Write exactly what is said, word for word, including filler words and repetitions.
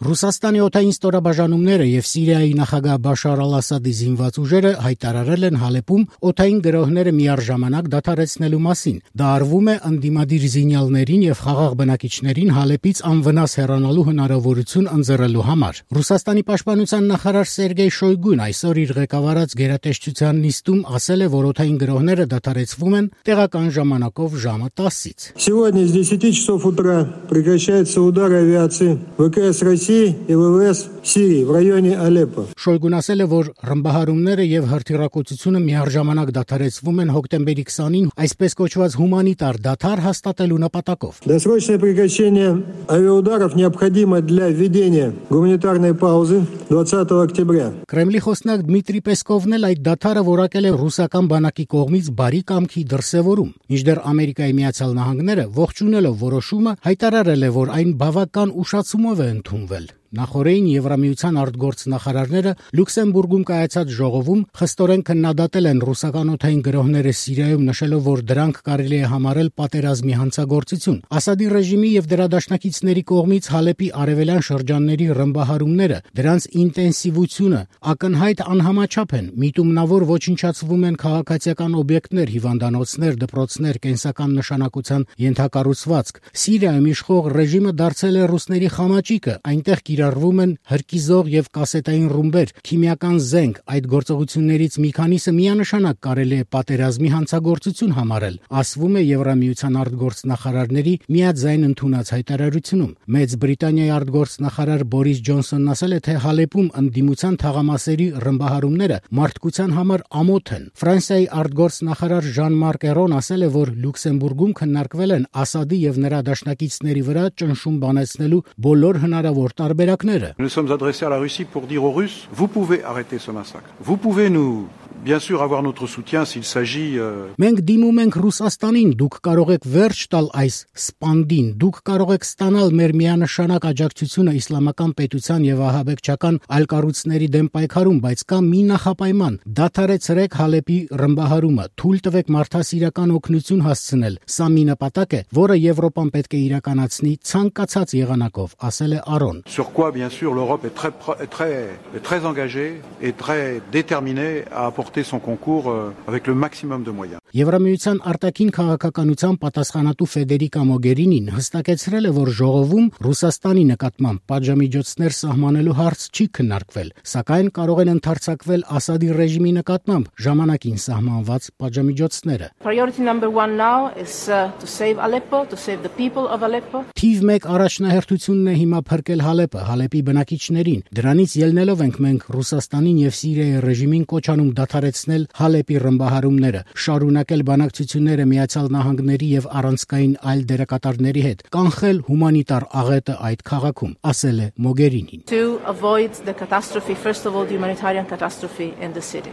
Ռուսաստանի օդային ստորաբաժանումները եւ Սիրիայի նախագահ Բաշար Ալ-Ասադի զինված ուժերը հայտարարել են Հալեպում օդային գրոհները միառժամանակ դադարեցնելու մասին։ Դա արվում է ընդդիմադիր զինյալներին եւ խաղաղ բնակիչներին Հալեպից անվնաս հեռանալու հնարավորություն ընձեռելու համար։ Ռուսաստանի պաշտպանության նախարար Սերգեյ Շոյգուն այսօր իր ղեկավարած գերատեսչության նիստում ասել է, որ օդային գրոհները դադարեցվում են տեղական ժամանակով ժամը տասից։ Сегодня с десяти часов утра прекращаются удары авиации ВКС России и ВВС Сирии в районе Алеппо. Շոյգուն ասել է, որ ռմբահարումները եւ հրթիռակոծությունը միառժամանակ դադարեցվում են հոկտեմբերի քսանին այսպես կոչված հումանիտար դադար հաստատելու նպատակով։ Досрочное прекращение авиаударов необходимо для введения гуманитарной паузы двадцатого октября. Կրեմլի խոսնակ Դմիտրի Պեսկովն էլ այդ դադարը որակել է ռուսական բանակի կողմից բարի կամքի դրսևորում։ Մինչդեռ Ամերիկայի Միացյալ Նահանգները ողջունելով որոշումը հայտարարել է, որ այն բավական ուշացումով է ընդունվել։ Նախորդին Եվրամիության արտգործնախարարները Լյուքսեմբուրգում կայացած ժողովում խստորեն քննադատել են ռուսական օդային գրոհները Սիրիայում, նշելով, որ դրանք կարելի է համարել պատերազմի հանցագործություն։ Ասադի ռեժիմի եւ դրա դաշնակիցների կողմից Հալեպի արևելյան շրջանների ռմբահարումները, դրանց ինտենսիվությունը ակնհայտ անհամաչափ են։ Միտումնավոր ոչնչացվում են քաղաքացիական օբյեկտներ, հիվանդանոցներ, դպրոցներ, կենսական նշանակության ենթակառուցվածք։ Սիրիայում իշխող ռեժիմը դարձել է ռուսների խամաճիկը, այնտեղ կիրառվում են հրկիզող եւ կասետային ռումբեր, քիմիական զենք։ Այդ գործողություններից մի քանիսը միանշանակ կարելի է պատերազմի հանցագործություն համարել, ասվում է Եվրամիության արտգործնախարարների միաձայն ընդունած հայտարարությունում։ Մեծ Բրիտանիայի արտգործնախարար Բորիս Ջոնսոնն ասել է, թե Հալեպում ընդդիմության թաղամասերի ռմբահարումները մարդկության համար ամոթ են։ Ֆրանսիայի արտգործնախարար Ժան-Մարկ Էրոն ասել է, որ Լյուքսեմբուրգում քննարկվել են Ասադի եւ նրա դաշնակիցների վրա ճնշում բանեցնելու բոլոր հնարավոր տարբերակները։ Nous sommes adressés à la Russie pour dire aux Russes, vous pouvez arrêter ce massacre. Vous pouvez nous bien sûr avoir notre soutien s'il s'agit Մենք դիմում ենք Ռուսաստանին, դուք կարող եք վերջ տալ այս սպանդին, դուք կարող եք ստանալ մեր միանշանակ աջակցությունը իսլամական պետության եւ ահաբեկչական այլ կառույցների դեմ պայքարում, բայց կա մի նախապայման՝ դադարեցրեք Հալեպի ռմբահարումը, թույլ տվեք մարդասիրական օգնություն հասցնել։ Սա մի նպատակ է, որը Եվրոպան պետք է իրականացնի ցանկացած եղանակով, ասել է Արոն։ Sur quoi bien sûr l'Europe est très très très engagée et très déterminée à apporter son concours avec le maximum de moyens. Եվրամիության արտաքին քաղաքականության պատասխանատու Ֆեդերիկա Մոգերինին հստակեցրել է, որ ժողովում Ռուսաստանի նկատմամբ պատժամիջոցներ սահմանելու հարց չի քննարկվել, սակայն կարող են ընդարձակվել Ասադի ռեժիմի նկատմամբ ժամանակին սահմանված պատժամիջոցները։ Priority number one now is uh, to save Aleppo, to save the people of Aleppo. Թիվ մեկ առաջնահերթությունն է հիմա փրկել Հալեպը, Հալեպի բնակիչներին։ Դրանից ելնելով ենք մենք Ռուսաստանին եւ Սիրիայի ռեժիմին կոչ անում դադարեցնել Հալեպի ռմբահարումները, շարունակել բանակցությունները Միացյալ Նահանգների եւ առանցքային այլ դերակատարների հետ, կանխել հումանիտար աղետը այդ քաղաքում, ասել է Մոգերինին։ To avoid the catastrophe, first of all the humanitarian catastrophe in the city.